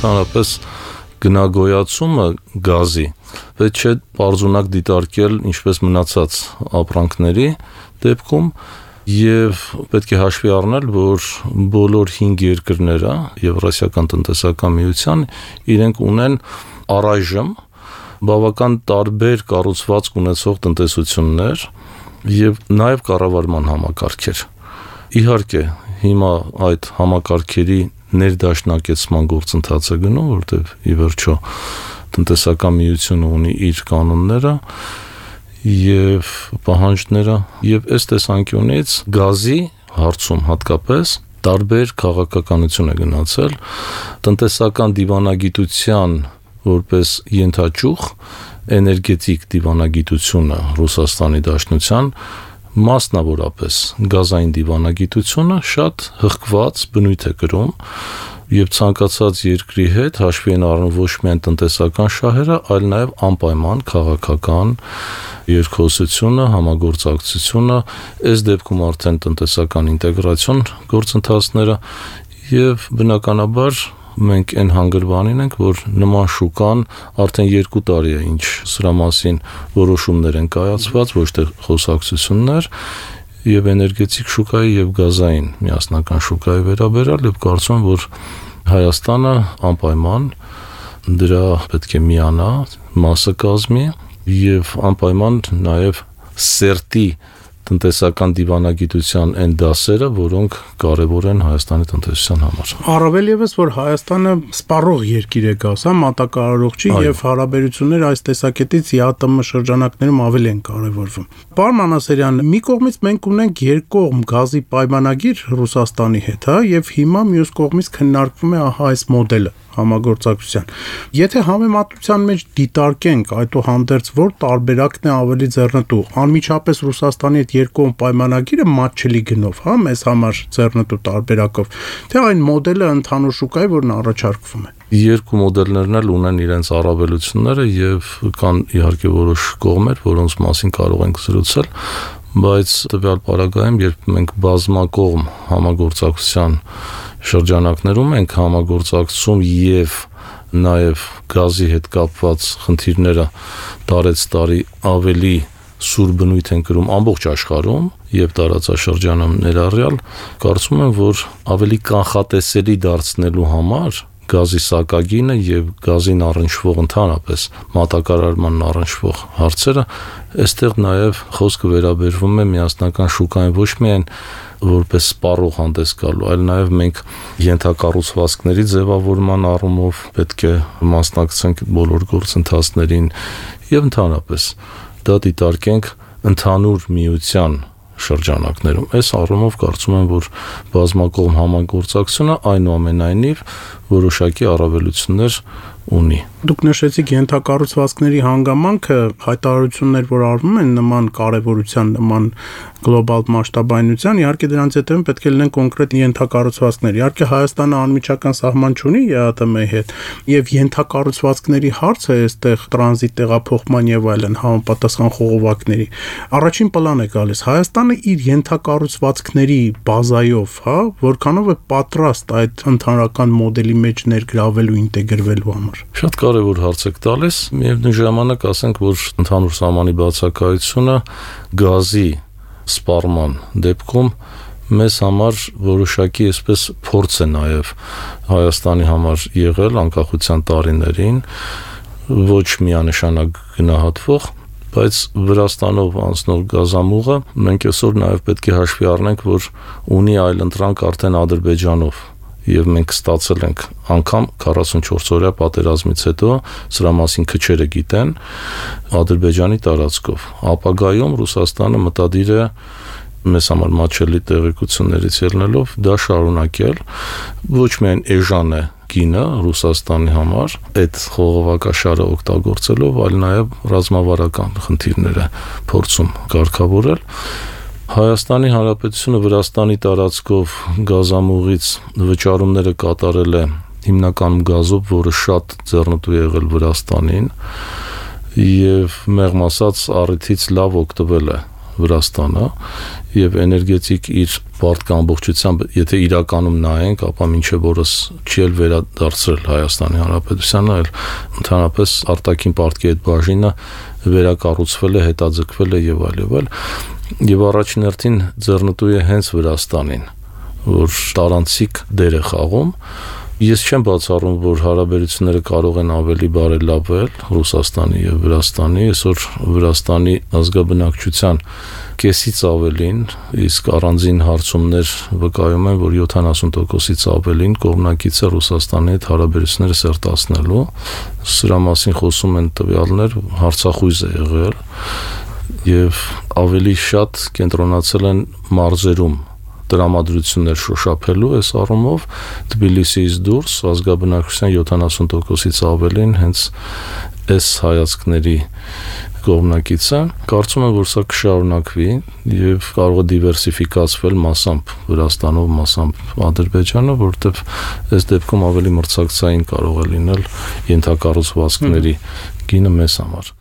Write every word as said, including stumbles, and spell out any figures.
Ընդհանրապես գնագոյացումը գազի պետք չէ պարզունակ դիտարկել ինչպես մնացած ապրանքների դեպքում եւ պետք է հաշվի առնել, որ բոլոր հինգ երկրները Եվրասիական տնտեսական միության իրենք ունեն առայժմ բավական տարբեր կառուցվածք ունեցող տնտեսություններ եւ նաեւ կառավարման համակարգեր։ Իհարկե, հիմա այդ համակարգերի ներդաշնակեցման գործընթացը գնում, որտեղ ի վերջո տնտեսական միությունը ունի իր կանոնները եւ պահանջները եւ այս տեսանկյունից գազի հարցում հատկապես տարբեր քաղաքականություն է գնացել տնտեսական դիվանագիտության որպես ենթաճյուղ էներգետիկ դիվանագիտությունը Ռուսաստանի Դաշնության մասնավորապես գազային դիվանագիտությունը շատ հղկված բնույթ է կրում եւ ցանկացած երկրի հետ հաշվի են առնում ոչ միայն տնտեսական շահերը, այլ նաեւ անպայման քաղաքական երկխոսությունը, համագործակցությունը, այս դեպքում արդեն տնտեսական ինտեգրացիոն գործընթացները եւ բնականաբար մենք այն հանգրվանին ենք, որ նման շուկան արդեն երկու տարի է ինչ սրա մասին որոշումներ են կայացված, ոչ թե խոսակցություններ եւ էներգետիկ շուկայի եւ գազային միասնական շուկայի վերաբերյալ եւ կարծում եմ, որ Հայաստանը անպայման դրա պետք է միանա, մասը կազմի եւ անպայման նաեւ սերտի տնտեսական դիվանագիտության այն դասերը, որոնք կարևոր են Հայաստանի տնտեսության համար։ Առավել եւս, որ Հայաստանը սպառող երկիր է գազ, հա, մատակարարողջի եւ հարաբերությունները այս տեսակետից ԵԱՏՄ շրջանակներում ավելի են կարևորվում։ Պարոն Մանասերյան, մի կողմից մենք ունենք երկկողմ գազի պայմանագիր Ռուսաստանի հետ, հա, եւ հիմա մյուս կողմից քննարկվում է ահա այս մոդելը համագործակցության։ Եթե համեմատության մեջ դիտարկենք այդուհանդերձ որ տարբերակն է ավելի ձեռնտու, անմիջապես Ռուսաստանի հետ երկկողմ պայմանագիրը մատչելի գնով, հա, մեզ համար ձեռնտու տարբերակով, թե այն մոդելը ընդհանուր շուկայի, որն առաջարկվում է։ Երկու մոդելներն էլ ունեն իրենց առավելությունները եւ կան իհարկե որոշ կողմեր, որոնց մասին կարող ենք զրուցել, բայց տվյալ պարագայում, երբ մենք բազմակողմ համագործակցության շրջանակներում ենք համագործակցում եւ նաեւ գազի հետ կապված խնդիրները տարեց տարի ավելի սուր բնույթ են կրում ամբողջ աշխարհում եւ տարածաշրջանում ներառյալ, կարծում եմ, որ ավելի կանխատեսելի դարձնելու համար գազի սակագինը եւ գազին առնչվող ընդհանրապես մատակարարման առնչվող հարցերը, այստեղ նաեւ խոսքը վերաբերվում է միասնական շուկային ոչ միայն որպես սպառող հանդես գալու, այլ նաեւ մենք ենթակառուցվածքների ձևավորման առումով պետք է մասնակցենք բոլոր գործընթացներին եւ ընդհանրապես դա դիտարկենք ընդհանուր միության շրջանակներում։ Այս առումով կարծում եմ, որ բազմակողմ համագործակցությունը այնուամենայնիվ որոշակի առավելություններ ունի։ Դուք նշեցիք ենթակառուցվածքների հանգամանքը, հայտարարություններ, որ արվում են նման կարևորության, նման գլոբալ մասշտաբայնության, իհարկե դրանց հետևում պետք է լինեն կոնկրետ ենթակառուցվածքներ։ Իհարկե Հայաստանը անմիջական սահման չունի ԵԱՏՄ-ի հետ, եւ ենթակառուցվածքների հարցը այստեղ տրանզիտ տեղափոխման եւ այլն համապատասխան խողովակների առաջին պլան է գալիս։ Հայաստանը իր ենթակառուցվածքների բազայով, հա, որքանով է պատրաստ այդ ընդհանրական մոդելի մեջ ներգրավելու, ինտեգրվելու համար։ Շատ կարևոր հարց եք տալիս, միևնույն ժամանակ ասենք, որ ընդհանուր սահմանի բացակայությունը գազի սպառման դեպքում մեզ համար որոշակի այսպես փորձ է նաև Հայաստանի համար եղել անկախության տարիներին, ոչ միանշանակ գնահատվող, բայց Վրաստանով անցնող գազամուղը մենք այսօր նաև պետք է հաշվի առնենք, որ ունի այլընտրանք արդեն Ադրբեջանով եւ մենք ստացել ենք անգամ քառասունչորս օրյա պատերազմից հետո սրա մասին քչերը գիտեն Ադրբեջանի տարածքով։ Ապագայում Ռուսաստանը մտադիր է մեզ համար մատչելի տեղեկություններից ելնելով դա շարունակել, ոչ միայն էժան է գինը Ռուսաստանի համար այդ խողովակաշարը օգտագործելով, այլ նաեւ ռազմավարական խնդիրները փորձում կարգավորել։ Հայաստանի Հանրապետությունը Վրաստանի տարածքով գազամուղից վճարումները կատարել է հիմնականում գազով, որը շատ ձեռնտու եղել Վրաստանին եւ մեղմ ասած առիթից լավ օգտվել է Վրաստանը եւ էներգետիկ իր բարդ ամբողջությամբ, եթե իրականում նայենք, ապա մինչեւ օրս չի էլ վերադարձրել Հայաստանի Հանրապետությանը, այլ ընդհանրապես արտաքին պարտքի այդ բաժինը վերակառուցվել է, հետաձգվել է եւ այլ եւ այլ։ Եվ առաջին հերթին ձեռնտու է հենց Վրաստանին, որ տարանցիկ դեր է խաղում։ Ես չեմ բացառում, որ հարաբերությունները կարող են ավելի բարելավել Ռուսաստանի եւ Վրաստանի, այսօր Վրաստանի ազգաբնակչության կեսից ավելին, իսկ առանձին հարցումներ վկայում են, որ յոթանասուն տոկոսից ավելին կողմնակից է Ռուսաստանի հետ հարաբերությունները սերտացնելու։ Սրա մասին խոսում են տվյալներ, հարցախույզ է եղել եւ ավելի շատ կենտրոնացել են մարզերում տրամադրություններ շոշափելու այս առումով Թբիլիսիից դուրս ազգաբնակչության յոթանասուն տոկոսից ավելին հենց այս հայացքների կողմնակից է։ Կարծում եմ, որ սա կշարունակվի եւ կարող է դիվերսիֆիկացվել մասամբ Վրաստանով, մասամբ Ադրբեջանը, որտեղ այս դեպքում ավելի մրցակցային կարող է լինել ենթակառուցվածքների գինը մեզ համար։